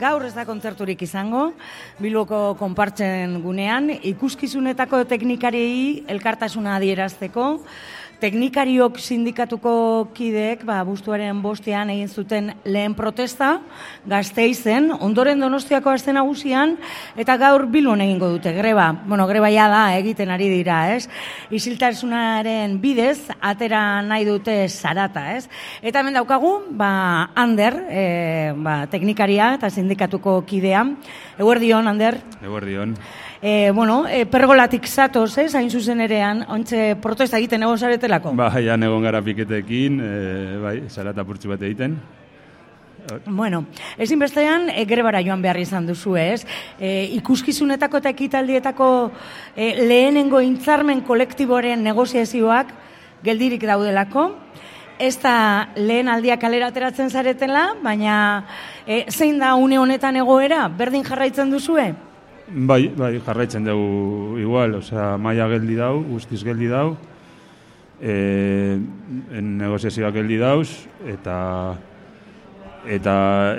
gaur ez da kontzerturik izango, Bilboko konpartzen gunean, ikuskizunetako teknikariei elkartasuna adierazteko, teknikariok sindikatuko kideek, abuztuaren 5ean egin zuten lehen protesta, Gasteizen, ondoren Donostiako aste nagusian, eta gaur Bilbon egingo dute greba. Bueno, greba ja da, egiten ari dira, ez? Isiltasunaren bidez, atera nahi dute zarata, ez? Eta hemen daukagu, Ander, teknikaria eta sindikatuko kidea. Eguerdion, Ander? Eguerdion. Pergolatik zatoz, hain zuzen erean, ontxe protesta egiten egon zaretelako? Ja, egon gara piketekin, zarata purtsu bat egiten. Bueno, ezinbestean grebara joan behar izan duzu, ez? Ikuskizunetako eta ekitaldietako lehenengo intzarmen kolektiboren negoziazioak geldirik daudelako, ez da lehen aldiak kalera ateratzen zaretela, baina zein da une honetan egoera, berdin jarraitzen duzue? Bai, jarraitzen dugu igual, maia geldi dau, guztiz geldi dau, negoziazioak geldi dauz, eta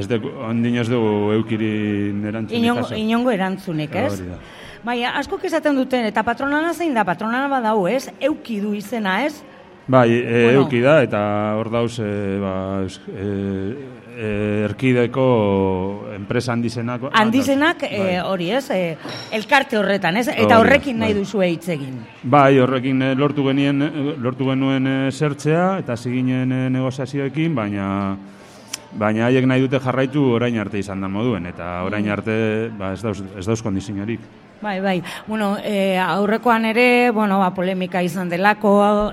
ez dugu, ondin ez dugu eukirin erantzunik. Inongo erantzunik, ez? Bai, askok esaten duten, eta patronana zein da, patronana badau, ez? Euki du izena, ez? Bai, euki da, eta hor dauz, erkideko enpresa handizenak. Handizenak, hori ez, elkarte horretan, ez? Eta horrekin nahi duzu hitz egin. Bai, horrekin lortu genuen zertzea, eta ziginen negoziazioekin, baina haiek nahi dute jarraitu orain arte izan da moduen, eta orain arte ez dauz kondiziorik. Bai. Bueno, aurrekoan ere, polemika izan delako,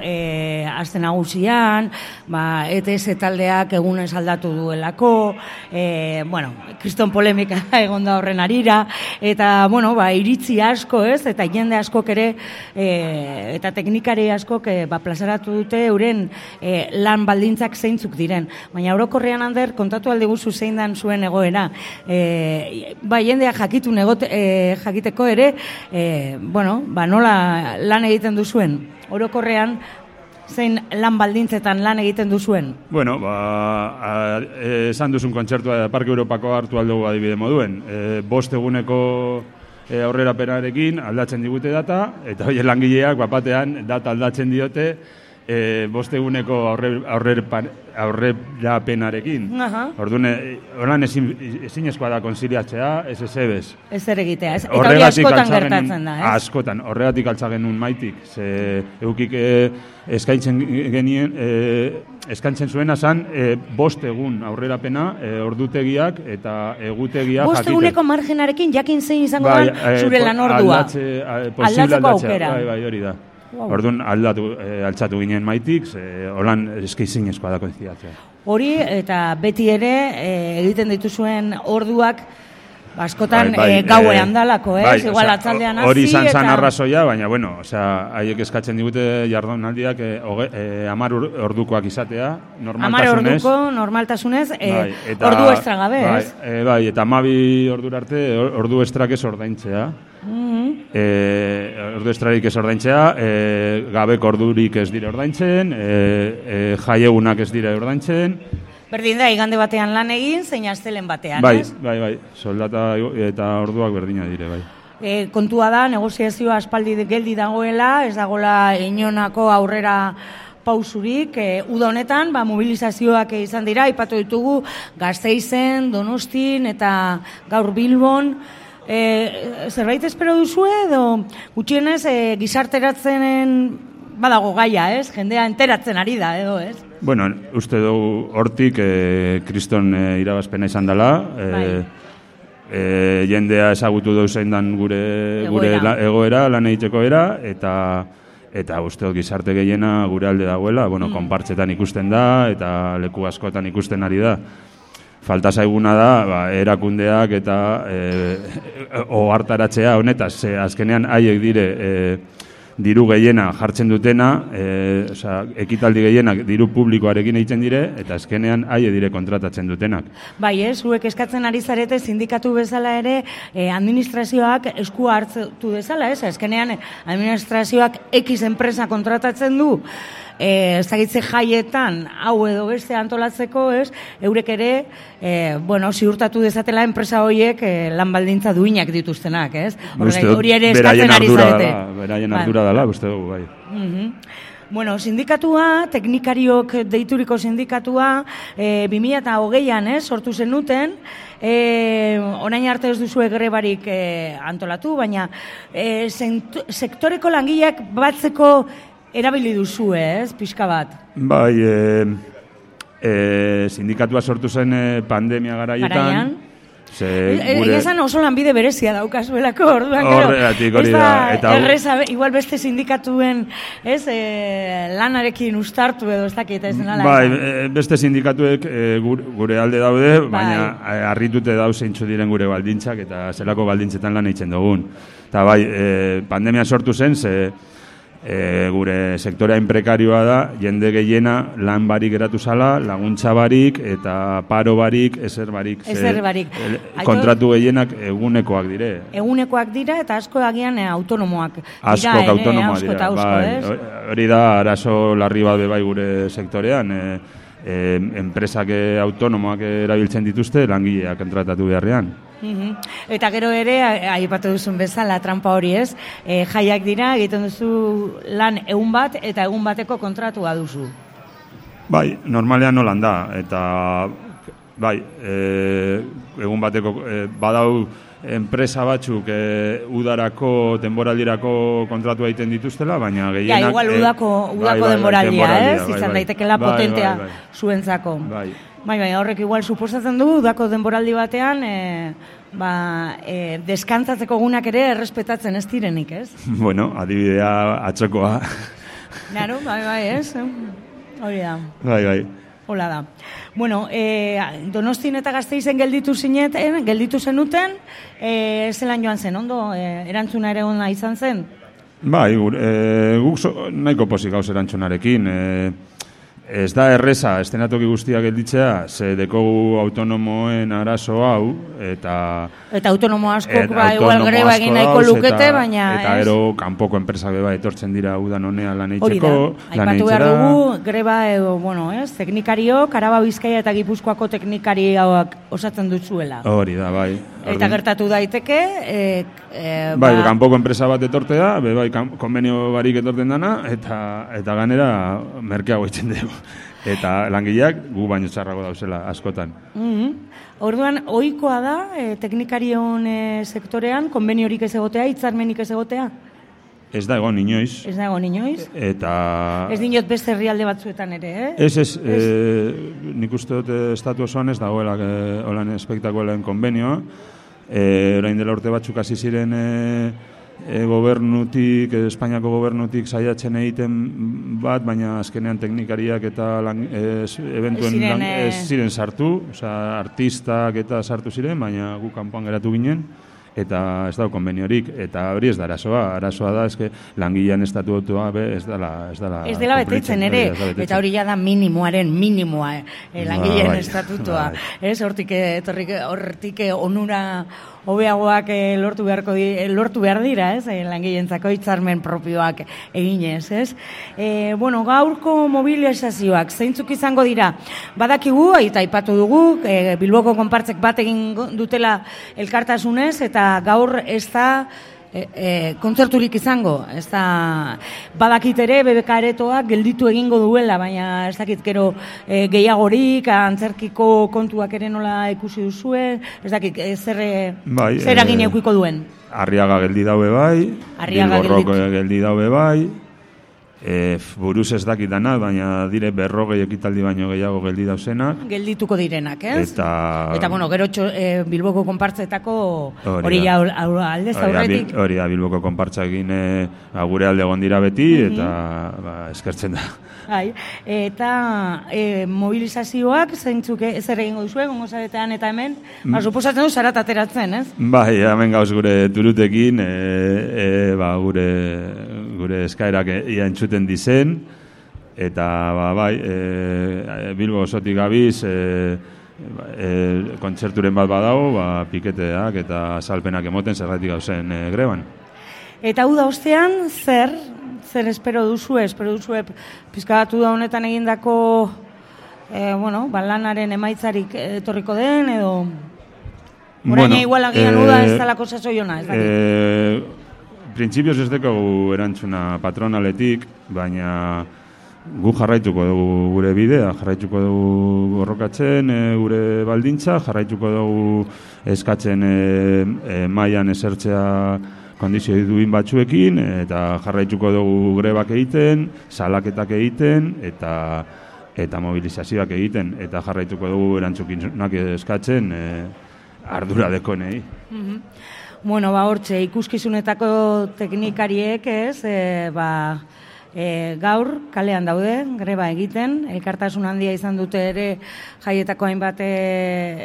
aste nagusian, ETS taldeak egunez aldatu duelako, kriston polemika egon da horren arira, eta, iritzi asko, ez, eta jende askok ere, eta teknikari askok, plazaratu dute euren lan baldintzak zeintzuk diren. Baina orokorrean, Ander, kontatu alde guzu zein dan zuen egoera. Jendea jakiteko ere, nola lan egiten duzuen? Orokorrean, zein lan baldintzetan lan egiten duzuen? Bueno, esan duzun kontzertua Parke Europako hartu aldugu adibide moduen. 5 eguneko aurrerapenarekin aldatzen digute data, eta hori langileak batean data aldatzen diote 5 eguneko aurrerapenarekin. Orduan, horan ezinezkoa da konziliatzea, ez ezebez. Ez ere egitea, eta hori askotan gertatzen da, ez? Askotan, horregatik altza genuen maitik, ze eukik eskaintzen zuena zan 5 egun aurrerapena, ordutegiak eta egutegiak jakite. 5 eguneko margenarekin jakin zein izango da zure lanordua. Aldatzeko aukera. Bai, hori da. Orduan altzatu ginen maitik, holan eskeizinezkoa da konzidatzea. Hori, eta beti ere egiten dituzuen orduak askotan gauean dalako, ez? Igual atzaldean hasi. Hori izan zan arrazoia, baina, haiek eskatzen digute jardunaldiak 10 ordukoak izatea, normaltasunez. 10 orduko, normaltasunez, ordu estra gabe, ez? Bai, eta 12 ordura arte, ordu estrak ez ordaintzea. Ordu estrarik ez ordaintzea, gabeko ordurik ez dire ordaintzen, jaiegunak ez dire ordaintzen. Berdin da, igande batean lan egin, zein astelen batean, ez? Bai, soldata eta orduak berdina dire, bai. Kontua da, negoziazioa aspaldi geldi dagoela, ez dagoela inonako aurrera pausurik, uda honetan, mobilizazioak izan dira, aipatu ditugu Gasteizen, Donostin eta gaur Bilbon. Zerbait espero duzu edo gutxienez gizarteratzen badago gaia, ez? Jendea enteratzen ari da, edo, ez? Bueno, uste dugu hortik kriston irabazpena izan dela, jendea ezagutu dugu zein dan gure egoera, lan egiteko era, eta uste dut gizarte gehiena gure alde dagoela, konpartzetan ikusten da, eta leku askotan ikusten ari da. Falta zaiguna da, erakundeak eta ohartaratzea honetaz, azkenean haiek dire diru gehiena jartzen dutena, ekitaldi gehienak diru publikoarekin egiten dire, eta azkenean haie dire kontratatzen dutenak. Bai, zuek eskatzen ari zarete sindikatu bezala ere, administrazioak eskua hartu bezala, azkenean administrazioak X enpresa kontratatzen du, ezagitze jaietan hau edo beste antolatzeko, ez, eurek ere, ziurtatu dezatela enpresa horiek lan baldintza duinak dituztenak, ez? Hori ere eskatzen ari zarete. Beraien ardura dela, uste dugu, bai. Bueno, sindikatua, teknikariok deituriko sindikatua, 2020an, sortu zenuten, orain arte ez duzue grebarik antolatu, baina sektoreko langileak batzeko erabili duzue, pixka bat? Bai, sindikatua sortu zen pandemia garaietan. Egezan oso lanbide berezia daukazuelako, orduan, horregatik hori da. Erreza, igual beste sindikatuen lanarekin ustartu edo ez dakit, ez denala. Bai, beste sindikatuek gure alde daude, baina harritute dauz zeintzu diren gure baldintzak eta zelako baldintzetan lan eitzen dugun. Eta bai, pandemia sortu zen, gure sektorea inprekarioa da, jende gehiena lan barik geratu zala, laguntza barik eta paro barik, ezer barik. Kontratu gehienak egunekoak dire. Egunekoak dira eta asko agian autonomoak. Askok autonomoak dira. Hori da, arazo larri bat bai gure sektorean. Enpresak autonomoak erabiltzen dituzte, langileak kontratatu beharrean. Eta gero ere, aipatu duzun bezala, trampa hori ez, jaiak dira, egiten duzu lan egun bat, eta egun bateko kontratua duzu. Bai, normalean nolan da, eta bai, egun bateko, badau enpresa batzuk udarako, denboraldirako kontratu egiten dituztela, baina gehienak... Igual udako denboraldia, izan daitekela potentea zuentzako. Bai, horrek igual suposatzen du, udako denboraldi batean, deskantzatzeko gunak ere errespetatzen ez direnik, ez? Bueno, adibidea atzokoa. Claro, bai, ez? Hori da. Bai. Hola da. Bueno, Donostin eta Gasteizen gelditu zenuten, zelan joan zen, ondo? Erantzuna ere ona izan zen? Bai, guk nahiko pozik gauz erantzunarekin. Ez da erreza, estenatoki guztiak gelditzea, ze dekogu autonomoen arazo hau, eta autonomo askok igual greba egin nahiko lukete, baina... Eta gero, kanpoko enpresak beba etortzen dira udan honea lan eitzeko. Hori da, aipatu behar dugu, greba edo, teknikario, Araba, Bizkaia eta Gipuzkoako teknikarioak osatzen dutzuela. Hori da, bai. Eta gertatu daiteke... Bai, kanpoko enpresa bat etortea, bai, konbenio barik etorten dana, eta ganera merkeago itzen dugu. Eta langileak gu baino txarrago dauzela askotan. Orduan, ohikoa da, teknikarion sektorean, konbeniorik ez egotea, hitzarmenik ez egotea? Ez da egon inoiz. Ez da egon inoiz? Eta... Ez dinot beste herrialde batzuetan ere, Ez, nik uste dut estatu osoan ez dagoela holan espektakuelen konbenioa. Orain dela urte batzuk hasi ziren gobernutik, Espainiako gobernutik saiatzen egiten bat, baina azkenean teknikariak eta eventuen ez ziren sartu, artistak eta sartu ziren, baina gu kanpoan geratu ginen, eta ez dago konbeniorik, eta hori ez da arazoa da, eske langilean estatutua ez dela betetzen ere, eta hori da minimoaren minimoa, langilean estatutua, hortik onura hobeagoak lortu behar dira, langileentzako hitzarmen propioak eginez, ez? Gaurko mobilizazioak zeintzuk izango dira? Badakigu, eta aipatu dugu, Bilboko konpartzek bat egin dutela elkartasunez, eta gaur ez da kontzerturik izango, ez da badakit ere BBK aretoak gelditu egingo duela, baina ez dakit gero gehiagorik, antzerkiko kontuak ere nola ikusi duzue, ez dakit zer egin eukiko duen. Arriaga geldi daue bai, Bilborrok geldi daue bai, buruz ez dakit dana, baina dire 40 ekitaldi baino gehiago geldi dauzenak. Geldituko direnak, ez? Eta gero Bilboko konpartzetako hori aldez aurretik. Hori da, Bilboko konpartzakin gure alde egon dira beti, eta eskertzen da. Eta mobilizazioak zeintzuk zer egingo duzue, gongo zaretean eta hemen, suposatzen du zarat ateratzen, ez? Bai, hemen gauz gure turutekin, gure eskaerak ia entzuten dizen, eta Bilbo osotik gabiz kontzerturen bat badago, piketeak eta salpenak emoten zergatik gauzen greban. Eta hau da ostean, zer zer espero duzue pizkabatu da honetan egindako lanaren emaitzarik etorriko den, edo oraina igual agian uda ez dalako sasoiona, ez dakit? Printzipioz ez deko erantzuna patronaletik, baina gu jarraituko dugu gure bidea, jarraituko dugu borrokatzen gure baldintza, jarraituko dugu eskatzen mailan esertzea kondizio duin batzuekin, eta jarraituko dugu grebak egiten, salaketak egiten, eta mobilizazioak egiten, eta jarraituko dugu erantzukizunak eskatzen ardura dekonei. Hortxe, ikuskizunetako teknikariek gaur kalean daude, greba egiten, elkartasun handia izan dute ere jaietako hainbat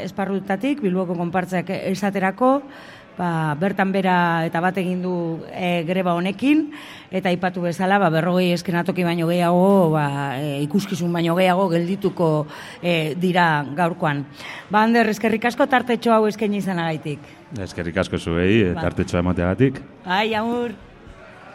esparrutatik, Bilboko konpartzeak esaterako, bertan bera eta bat egin du greba honekin, eta aipatu bezala 40 eskenatoki baino gehiago, ikuskizun baino gehiago geldituko dira gaurkoan. Ander, eskerrik asko tartetxo hau eskaini izanagaitik. Eskerrik asko zuei, tartetxoa emateagatik. Bai, agur.